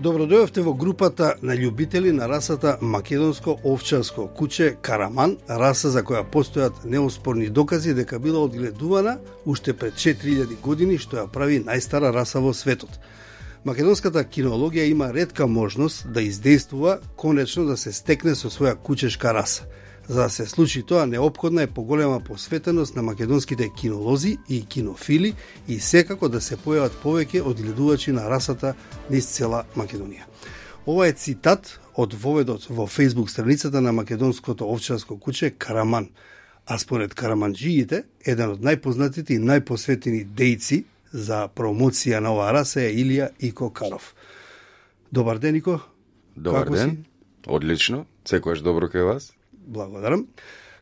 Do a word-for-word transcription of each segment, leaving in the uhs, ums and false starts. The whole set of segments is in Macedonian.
Добродојавте во групата на љубители на расата македонско овчарско куче Караман, раса за која постојат неоспорни докази дека била одгледувана уште пред четири илјади години, што ја прави најстара раса во светот. Македонската кинологија има ретка можност да издействува конечно да се стекне со своја кучешка раса. За да се случи тоа, неопходна е поголема посветеност на македонските кинолози и кинофили и секако да се појават повеќе одгледувачи на расата низ цела Македонија. Ова е цитат од воведот во Facebook страницата на македонското овчарско куче Караман. А според караманџиите, еден од најпознатите и најпосветени дејци за промоција на оваа раса е Илија Ико Каров. Добар ден, Ико. Добар Како ден. си? Одлично. Секојаш добро кај вас. Благодарам.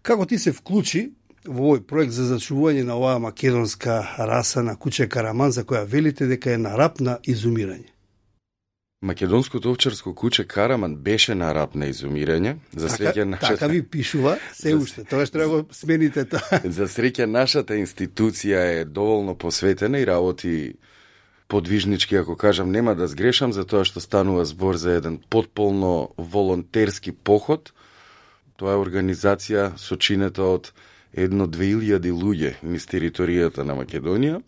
Како ти се вклучи во овој проект за зачувување на оваа македонска раса на куче Караман, за која велите дека е на рап на изумирање? Македонското овчарско куче Караман беше на рап на изумирање. За среќа Така, нашата... така ви пишува, се За- уште. Тоа што треба го смените тоа. За среќа нашата институција е доволно посветена и работи подвижнички, ако кажам, нема да сгрешам, за тоа што станува збор за еден потполно волонтерски поход. Тоа е организација сочинета од едно-две илјади луѓе низ територијата на Македонија.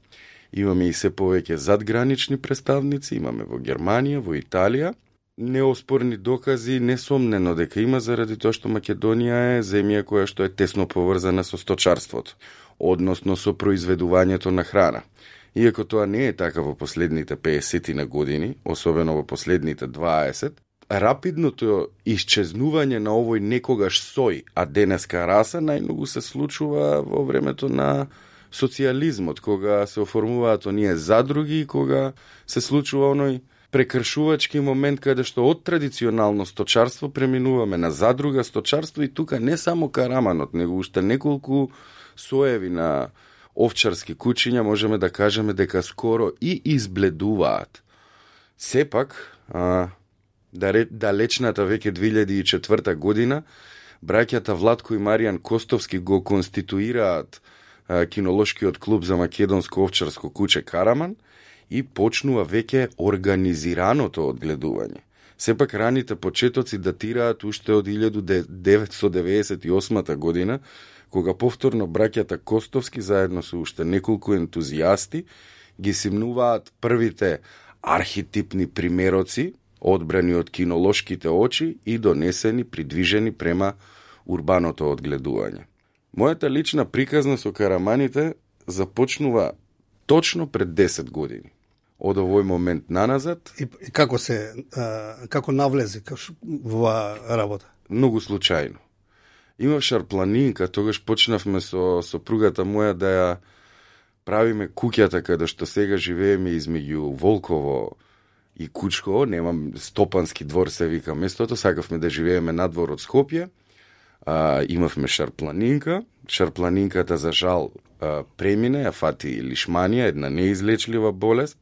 Имаме и се повеќе задгранични представници, имаме во Германија, во Италија. Неоспорни докази, несомнено дека има, заради тоа што Македонија е земја која што е тесно поврзана со сточарството, односно со произведувањето на храна. Иако тоа не е така во последните песет на години, особено во последните дваесет, рапидното исчезнување на овој некогаш сој, а денеска раса, најмногу се случува во времето на социјализмот, кога се оформуваат оние задруги и кога се случува оној прекршувачки момент каде што од традиционално сточарство преминуваме на задруга сточарство и тука не само Караманот, него уште неколку соеви на овчарски кучиња можеме да кажеме дека скоро и избледуваат. Сепак, а, далечната веќе две илјади и четврта година, браќата Владко и Маријан Костовски го конституираат а, кинолошкиот клуб за македонско овчарско куче Караман и почнува веќе организираното одгледување. Сепак раните почетоци датираат уште од илјада деветстотини деветдесет и осма година, кога повторно браќата Костовски заедно со уште неколку ентузијасти ги симнуваат првите архетипни примероци одбрани од кинолошките очи и донесени, придвижени према урбаното одгледување. Мојата лична приказна со Караманите започнува точно пред десет години. Од овој момент наназад... И, и како се, а, како навлезе во оваа работа? Многу случајно. Имав шарпланинка, тогаш почнавме со сопругата моја да ја правиме куќата каде што сега живееме измеѓу Волково и Кучково, немам Стопански двор се вика местото, сакавме да живееме надвор од Скопје. А, имавме шарпланинка, шарпланинката за жал а, премине, ја фати лишманија, една неизлечлива болест,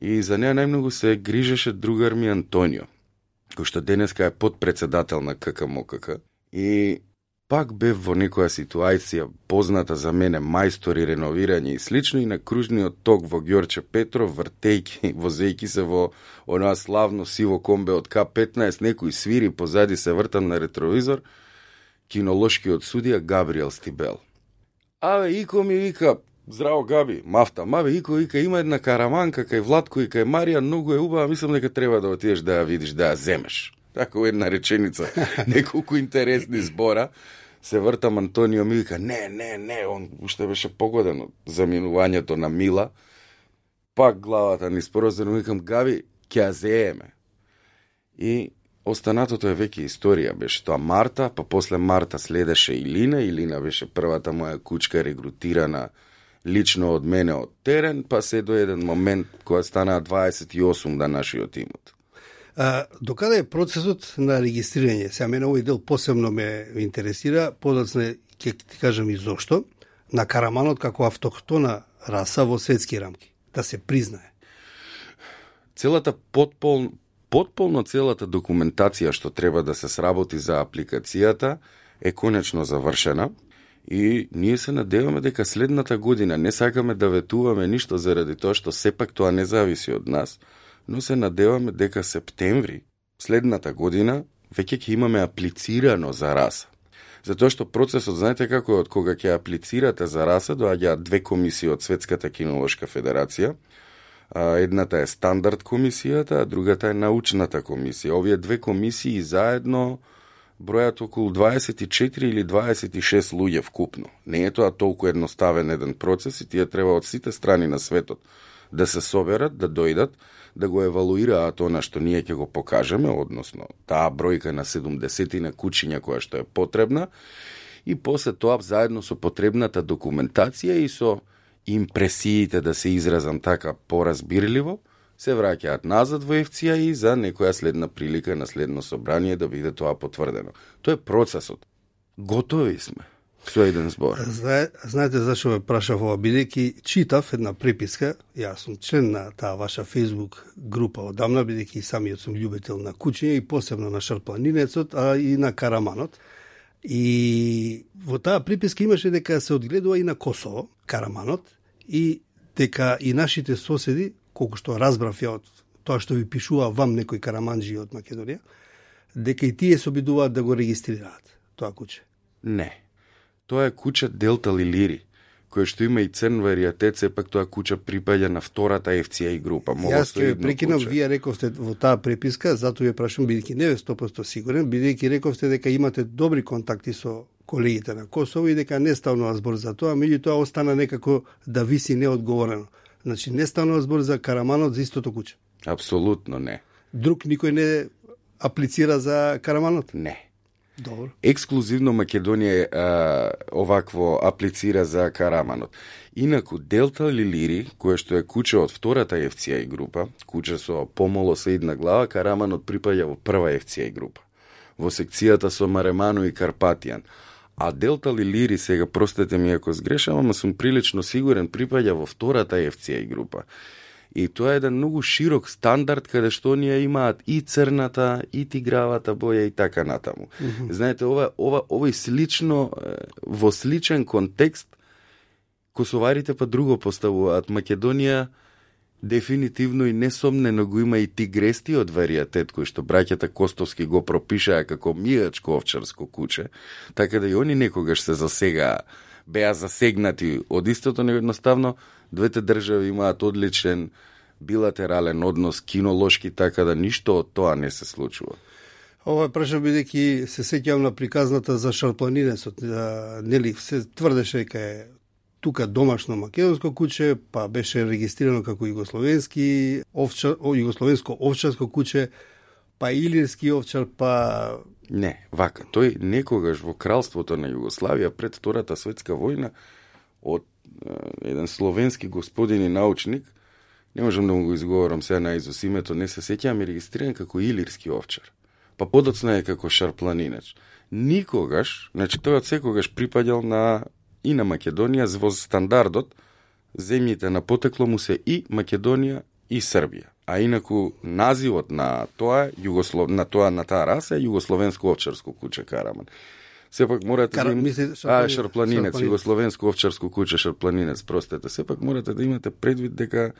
и за неа најмногу се грижеше другар ми Антонио, кој што денеска е подпредседател на ККМОКК. И пак бев во некоја ситуација позната за мене, мајстори реновирање и слично, и на кружниот ток во Ѓорче Петров, вртејки, возејки се во онаа славно сиво комбе од К петнаесет, некој свири, позади се вртам на ретровизор, кинолошкиот судија Габриел Стибел. Аве, Ико ми вика, здраво Габи, мафта, маве, Ико, вика, има една караманка кај Владко и кај Марија, многу е убава, мислам дека треба да отидеш да ја видиш, да ја земеш. Така една реченица, неколку интересни збора, се вртам, Антонио ми вика, не, не, не, он уште беше погоден од заминувањето на Мила. Пак главата ни спорозено, викам, Габи, ќе ја зееме. И останатото е веќе историја, беше тоа Марта, па после Марта следеше Илина, Илина беше првата моја кучка регрутирана лично од мене од терен, па се до еден момент која стана дваесет и осум да нашиот имот. А, докаде е процесот на регистрирање? Сега мене овој дел посебно ме интересира, подоцна ќе ти кажам и зошто, на Караманот како автохтона раса во светски рамки, да се признае. Целата потпол, потполно целата документација што треба да се сработи за апликацијата е конечно завршена и ние се надеваме дека следната година не сакаме да ветуваме ништо заради тоа што сепак тоа не зависи од нас, но се надеваме дека септември следната година веќе ќе имаме аплицирано за раса. Затоа што процесот, знаете како е, од кога ќе аплицирате за раса, доаѓаат две комисии од Светската кинолошка федерација. Едната е стандард комисијата, а другата е научната комисија. Овие две комисии заедно бројат околу дваесет и четири или дваесет и шест луѓе вкупно. Не е тоа толку едноставен еден процес и тие треба од сите страни на светот да се соберат, да дојдат, да го евалуираат она што ние ќе го покажеме, односно таа бројка на седумдесетина кучиња која што е потребна, и после тоа заедно со потребната документација и со импресиите, да се изразам така поразбирливо, се враќаат назад во еф ци а и за некоја следна прилика на следно собрание да биде тоа потврдено. Тоа е процесот. Готови сме. Со еден збор. Знае, знаете зашо ме прашав ова, бидејќи читав една преписка, јас сум член на таа ваша Facebook група одамна, бидејќи самиот сум љубител на кучиња и посебно на шарпланинецот, а и на караманот. И во таа приписка имаше дека се одгледува и на Косово, караманот, и дека и нашите соседи, колку што разбрав ја од тоа што ви пишува вам некои караманџи од Македонија, дека и тие се обидуваат да го регистрираат тоа куче. Не. Тоа е куча Делта Лилири, кој што има и црн варијатет, сепак тоа куча припаѓа на втората еф ци а група. Јас ќе прекинам, вие рековте во таа преписка, затоа ја прашам, бидејќи не е сто проценти сигурен, бидејќи рековте дека имате добри контакти со колегите на Косово и дека не ставнува збор за тоа, меѓутоа остана некако да виси неодговорено. Значи не станува збор за караманот за истото куче. Апсолутно не. Друг никој не аплицира за караманот? Не. Добро. Ексклузивно Македонија а, овакво аплицира за караманот. Инаку Делта Лилири, кое што е куче од втората еф ци а група, куче со помолосеидна глава, караманот припаѓа во прва еф ци а група, во секцијата со Мареману и Карпатијан. А Делта Лилири, сега простете ми ако сгрешам, ама сум прилично сигурен, припаѓа во втората еф ци а група. И тоа е еден многу широк стандард каде што оние имаат и црната, и тигравата боја и така натаму. Mm-hmm. Знаете, ова, ова, овој слично, во сличен контекст, косоварите па друго поставуваат. Македонија дефинитивно и несомнено го има и тигрестиот варијатет, кој што браќата Костовски го пропишаа како мијачко овчарско куче, така да и они некогаш се засега беа засегнати од истото, но едноставно двете држави имаат одличен билатерален однос, кинолошки, така да ништо од тоа не се случува. Ова прашав бидејќи се сеќавам на приказната за шарпланинецот, нели се тврдеше дека е тука домашно македонско куче, па беше регистрирано како југословенски овчар, југословенско овчарско куче, па илирски овчар, па не, вака, тој некогаш во кралството на Југославија пред Втората светска војна од е, еден словенски господин и научник, не можам да му го изговорам сега наизус името, не се сеќавам, е регистриран како илирски овчар. Па подоцна е како шарпланинеч. Никогаш, значи тој од секогаш припаѓал на и на Македонија во стандардот, земјите на потекло му се и Македонија и Србија. А инаку називот на тоа југослов на тоа на таа раса е југословенско овчарско куче караман. Сепак морате Кар... да им... мисли, а шарпланинец, југословенско овчарско куче шарпланинец, простете. Сепак морате да имате предвид дека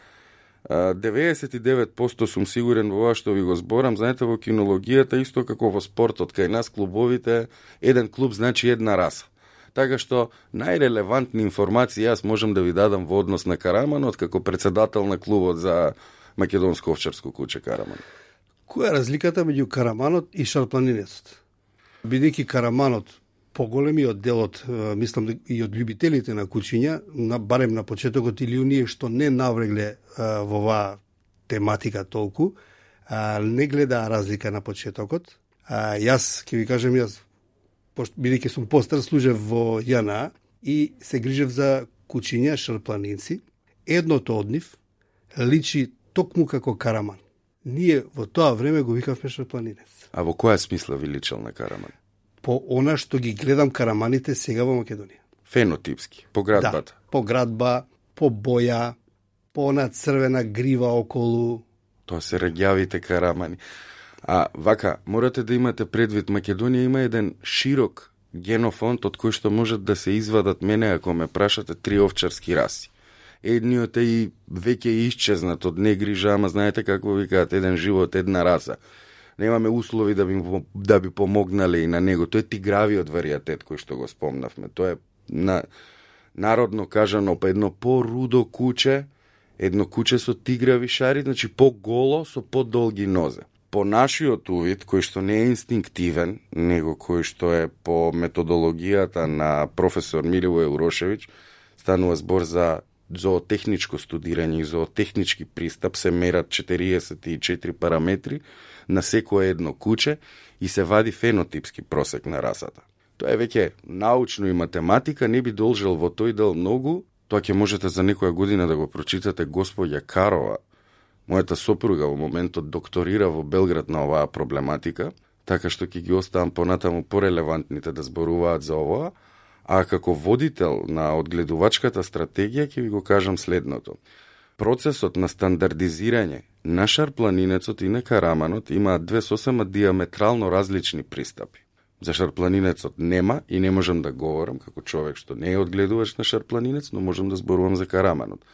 деветдесет и девет проценти сум сигурен во ова што ви го зборам. Знаете, во кинологијата исто како во спортот, кај нас клубовите еден клуб значи една раса. Така што најрелевантни информации јас можам да ви дадам во однос на караманот како председател на клубот за македонско овчарско куче караман. Која е разликата меѓу караманот и шарпланинецот? Бидејќи караманот поголемиот дел од, мислам, и од љубителите на кучиња, на, барем на почетокот или оние што не наврегле а, во оваа тематика толку, а, не гледаа разлика на почетокот. А, јас, ќе ви кажем, јас, бидејќи сум постар, служев во Ја Н А и се грижев за кучиња, шарпланинци. Едното од нив личи токму како караман. Ние во тоа време го викавме шарпланинец. А во која смисла ви личел на караман? По она што ги гледам караманите сега во Македонија. Фенотипски, по градбата? Да, по градба, по боја, по она црвена грива околу. Тоа се регјавите карамани. А вака, морате да имате предвид, Македонија има еден широк генофонд од кој што можат да се извадат, мене ако ме прашате, три овчарски раси. едниот е и веќе исчезнат од негрижа, ама знаете како викаат, еден живот, една раса. Немаме услови да би, да би помогнале и на него. Тој е тигравиот варијатет кој што го спомнавме. Тоа е на, народно кажано едно по-рудо куче, едно куче со тиграви шари, значи по-голо со по-долги нозе. По нашиот увид, кој што не е инстинктивен, него кој што е по методологијата на професор Миливој Урошевиќ, станува збор за зоотехничко студирање и зоотехнички пристап, се мерат четириесет и четири параметри на секое едно куче и се вади фенотипски просек на расата. Тоа е веќе научно и математика, не би должел во тој дел многу, тоа ќе можете за некоја година да го прочитате. Господја Карова, мојата сопруга во моментот докторира во Белград на оваа проблематика, така што ќе ги оставам понатаму порелевантните да зборуваат за оваа, а како водител на одгледувачката стратегија ќе ви го кажам следното. Процесот на стандардизирање на шарпланинецот и на караманот имаат две сосема диаметрално различни пристапи. За шарпланинецот нема и не можам да говорам како човек што не е одгледувач на шарпланинец, но можам да зборувам за караманот.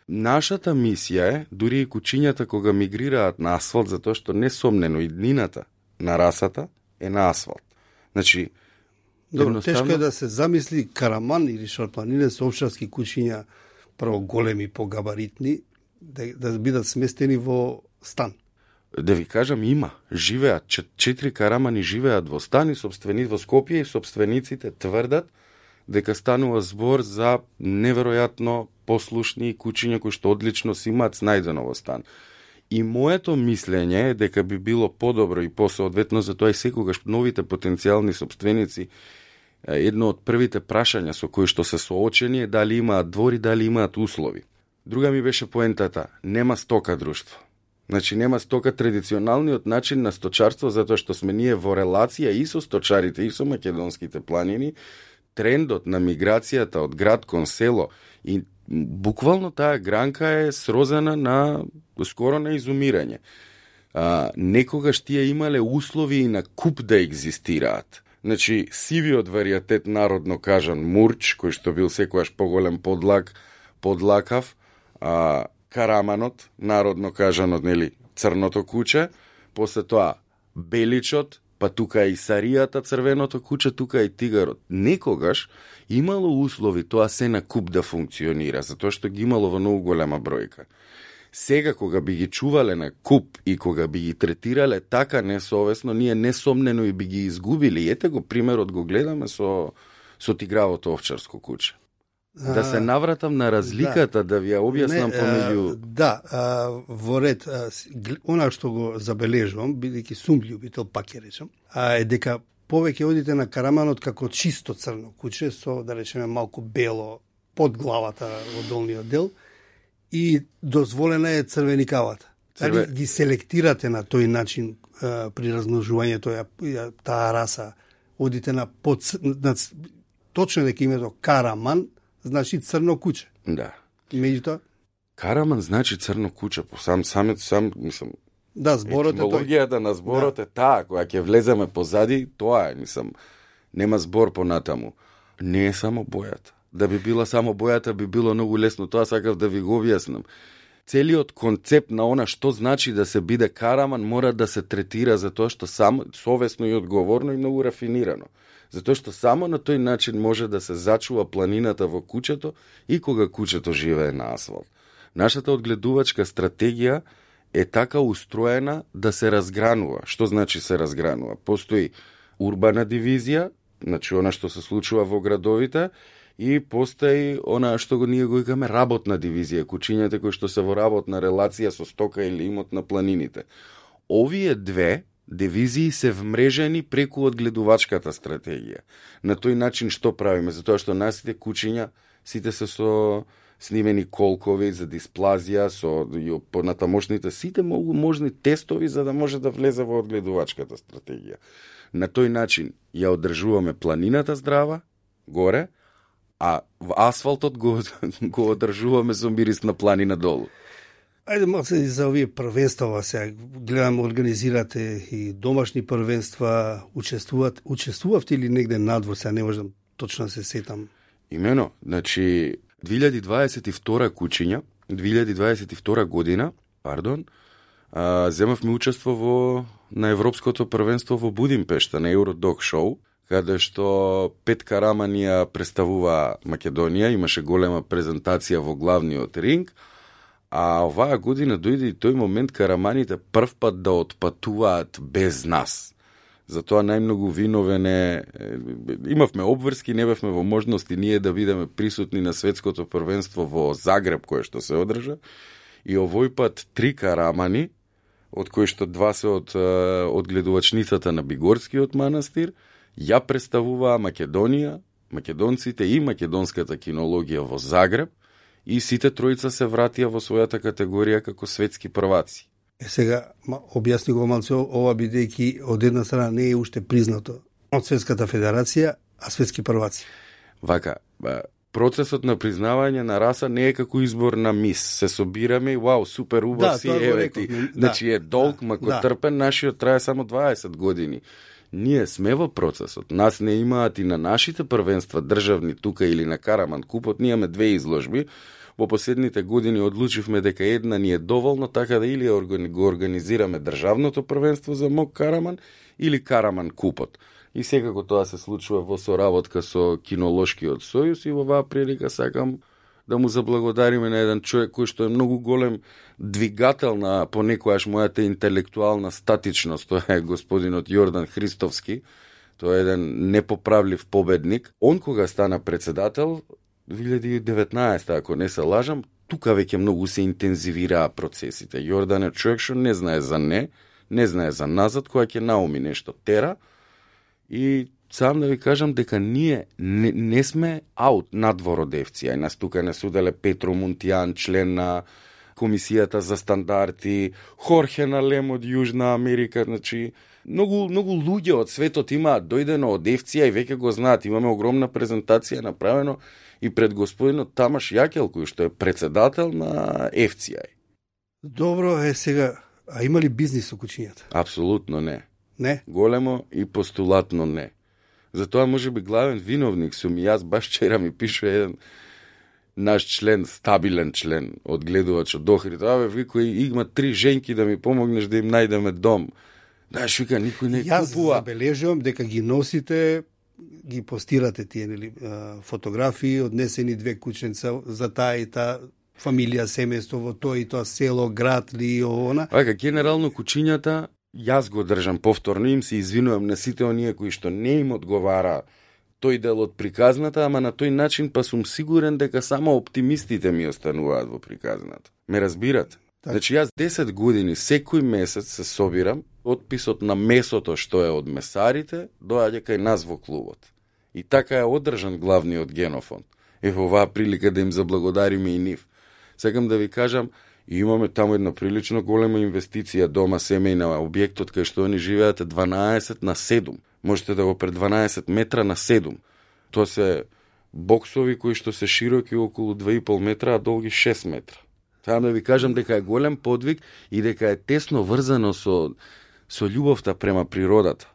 Нашата мисија е, дури и кучињата кога мигрираат на асфалт, затоа што несомнено и днината на расата е на асфалт. Значи, Добро, едноставно... тешко е да се замисли караман или шарпланинец, овчарски кучиња, прво големи, погабаритни, да, да бидат сместени во стан. Да ви кажам, има. Живеат, четири карамани живеат во стан и собствени во Скопје и собствениците тврдат дека станува збор за неверојатно послушни кучиња кои што одлично си имаат снајдено во стан. И моето мислење е дека би било подобро и посоодветно за тоа и секогаш новите потенцијални собственици, едно од првите прашања со кои што се соочени е дали имаат двори, дали имаат услови. Друга ми беше поентата, нема стока друштво. Значи нема стока традиционалниот начин на сточарство, затоа што сме ние во релација и со сточарите и со македонските планини, трендот на миграцијата од град кон село и буквално таа гранка е срозана на скоро на изумирање. А, некогаш тие имале услови и на куп да екзистираат. Значи, сивиот варијатет, народно кажан, мурч, кој што бил секојаш поголем подлак, подлакав, а, караманот, народно кажано, нели, црното куче, после тоа беличот, па тука и саријата, црвеното куче, тука и тигарот. Некогаш имало услови тоа се на куп да функционира, затоа што ги имало во многу голема бројка. Сега, кога би ги чувале на куп и кога би ги третирале така несовесно, ние несомнено и би ги изгубили. Ете го примерот, го гледаме со, со тигравото овчарско куче. Да се навратам на разликата, да, да ви ја објаснам помеѓу... Да, а, во ред, а, она што го забележувам, бидејќи сум љубител, пак ја речам, а, е дека повеќе одите на караманот како чисто црно куче, со, да речеме, малку бело под главата во долниот дел, и дозволена е црвеникавата. Црве... Дали ги селектирате на тој начин а, при размножувањето таа раса, одите на, под, на точно дека името караман, значи црно куче. Да. Меѓутоа? Караман значи црно куче, по сам самет сам мислам. Да, зборот е тој. Етимологијата на зборот да. Е таа, кога ќе влеземе позади, тоа е, мислам, нема збор понатаму. Не е само бојата. Да би била само бојата, би било многу лесно, тоа сакав да ви го објаснам. Целиот концепт на она што значи да се биде караман мора да се третира за тоа што само совесно и одговорно и многу рафинирано. Затоа што само на тој начин може да се зачува планината во кучето и кога кучето живее на асфалт. Нашата одгледувачка стратегија е така устроена да се разгранува. Што значи се разгранува? Постои урбана дивизија, значи она што се случува во градовите, и постои она што го ние го викаме работна дивизија, кучињата кои што се во работна релација со стока или имот на планините. Овие две дивизии се вмрежени преку одгледувачката стратегија. На тој начин што правиме? Затоа што насите кучиња сите се со снимени колкови за дисплазија, со понатамошните сите могу можни тестови за да може да влезе во одгледувачката стратегија. На тој начин ја одржуваме планината здрава, горе, а асфалтот го, го одржуваме со мирис на планина долу. Ајде малку се за овие првенства сега. Гледам, организирате и домашни првенства, учествуват, учествувавте или негде надвор, сега не можам точно се сетам. Имено, значи, две илјади дваесет и втора кучиња, две илјади дваесет и втора година, пардон, а, земавме учество во на Европското првенство во Будимпешта, на Евродок шоу, каде што Пет Караман ја представува Македонија, имаше голема презентација во главниот ринг, а оваа година дојде и тој момент Караманите прв пат да отпатуваат без нас. Затоа најмногу виновене, имавме обврски, не бевме во можности ние да бидеме присутни на светското првенство во Загреб, кое што се одржа, и овој пат три Карамани, од кои што два се од, од гледувачницата на Бигорскиот манастир, ја представуваа Македонија, македонците и македонската кинологија во Загреб, и сите тројца се вратија во својата категорија како светски прваци. Е сега, објасни го малце ова, бидејќи од една страна не е уште признато од Светската федерација, а светски прваци. Вака, процесот на признавање на раса не е како избор на мис. Се собираме и вау, супер убав да, си, еве ти. Да, значи е долг, да, мако да. Трпен, нашиот трае само дваесет години. Ние сме во процесот. Нас не имаат и на нашите првенства државни тука или на Караман купот. Ние имаме две изложби. Во последните години одлучивме дека една ни е доволно, така да или го организираме државното првенство за Мок Караман или Караман купот. И секако тоа се случува во соработка со Кинолошкиот сојуз, и во оваа прилика сакам да му заблагодариме на еден човек кој што е многу голем двигател на понекојаш мојата интелектуална статичност. Тоа е господинот Јордан Христовски. Тоа е еден непоправлив победник. Он кога стана председател две илјади и деветнаесета, ако не се лажам, тука веќе многу се интензивираа процесите. Јордан е човек што не знае за не, не знае за назад, која ќе науми нешто тера. И сам да ви кажам дека ние не, не сме аут надвор од Еф Си Ај. Нас тука не суделе Петро Мунтијан, член на Комисијата за стандарти, Хорхе Налем од Јужна Америка, значи многу многу луѓе од светот имаат дојдено од Еф Си Ај, веќе го знаат, имаме огромна презентација направено и пред господинот Тамаш Јакел, кој што е председател на Еф Си Ај. Добро е сега, а има ли бизнис со кучињата? Апсолутно не. Не? Големо и постулатно не. Затоа може би главен виновник сум и јас, баш вчера ми пише еден наш член, стабилен член од гледувач од Охрид. Абе, викој, има три женки да ми помогнеш да им најдеме дом. Знаеш, вика, никој не јас купува. Јас забележувам дека ги носите, ги постирате тие нели фотографии, однесени две кученца за таа и таа фамилија, семејство во тоа и тоа село, град ли и она. Ајка, генерално кучињата јас го држам повторно, им се извинувам на сите оние кои што не им одговара тој дел од приказната, ама на тој начин па сум сигурен дека само оптимистите ми остануваат во приказната. Ме разбирате? Так. Значи јас десет години секој месец се собирам, отписот на месото што е од месарите доаѓа кај нас во клубот. И така е одржан главниот генофонд. Е во оваа прилика да им заблагодариме и нив. Сакам да ви кажам, и имаме таму една прилично голема инвестиција, дома семејна, објектот кај што они живеат дванаесет на седум. Можете да го пред дванаесет метра на седум. Тоа се боксови кои што се широки околу два и пол метра, а долги шест метра. Сакам да ви кажам дека е голем подвиг и дека е тесно врзано со со љубовта према природата.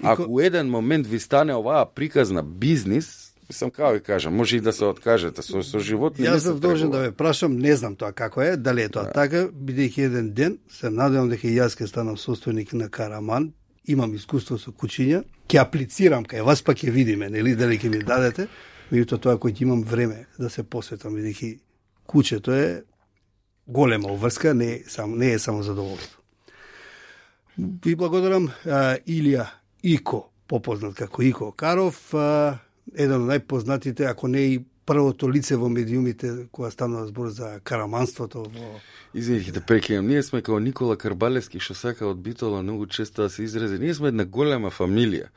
Ако ко... еден момент ви стане оваа приказна бизнис, сам како ви кажам, може и да се откажете со, со живот. Јас сум должен да ве прашам, не знам тоа како е, дали е тоа да. Така, бидејќи еден ден се надевам дека јас ќе станам состојник на Караман, имам искуство со кучиња, ќе аплицирам кај вас, па ќе видиме, нели, дали ќе ми дадете, меѓутоа тоа кој ќе имам време да се посветам, бидејќи кучето е голема обврска, не е само не е само задоволство. Ви благодарам, а, Илија Ико, попознат како Ико Каров, а, еден од најпознатите, ако не и првото лице во медиумите кога станува збор за караманството во... Извинете, да прекинам. Ние сме како Никола Карбалевски, што сака од Битола многу често да се изрази. Ние сме една голема фамилија.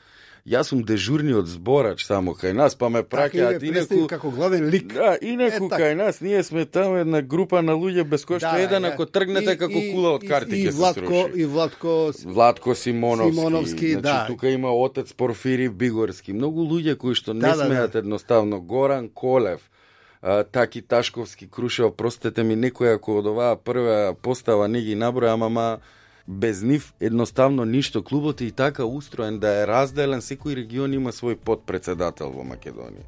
Јас сум дежурниот зборач само кај нас, па ме праќаат инаку како главен лик. Да, инаку е, кај нас ние сме таму една група на луѓе без кој што да, еден ако тргнете и, како и, кула од карти ќе се сруши. И Владко Владко Симоновски. Симоновски, значи, да. Тука има отец Порфири Бигорски. Многу луѓе кои што не да, смеат да, да. едноставно. Горан Колев, а, Таки Ташковски, Крушева, простете ми некој ако од оваа прва постава не ги наброја, ама без нив едноставно ништо. Клубот е и така устроен да е разделен, секој регион има свој подпредседател во Македонија.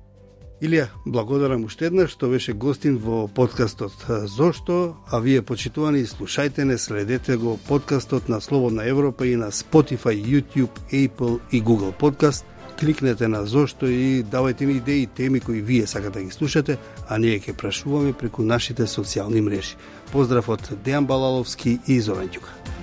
Илија, благодарам уште еднаш што беше гостин во подкастот Зошто, а вие почитувани слушајте не, следете го подкастот на Слободна Европа и на Spotify, YouTube, Apple и Google Podcast. Кликнете на Зошто и давајте ни идеи, теми кои вие сакате да ги слушате, а ние ќе прашуваме преку нашите социјални мрежи. Поздрав од Дејан Балаловски и Зоран Ѓука.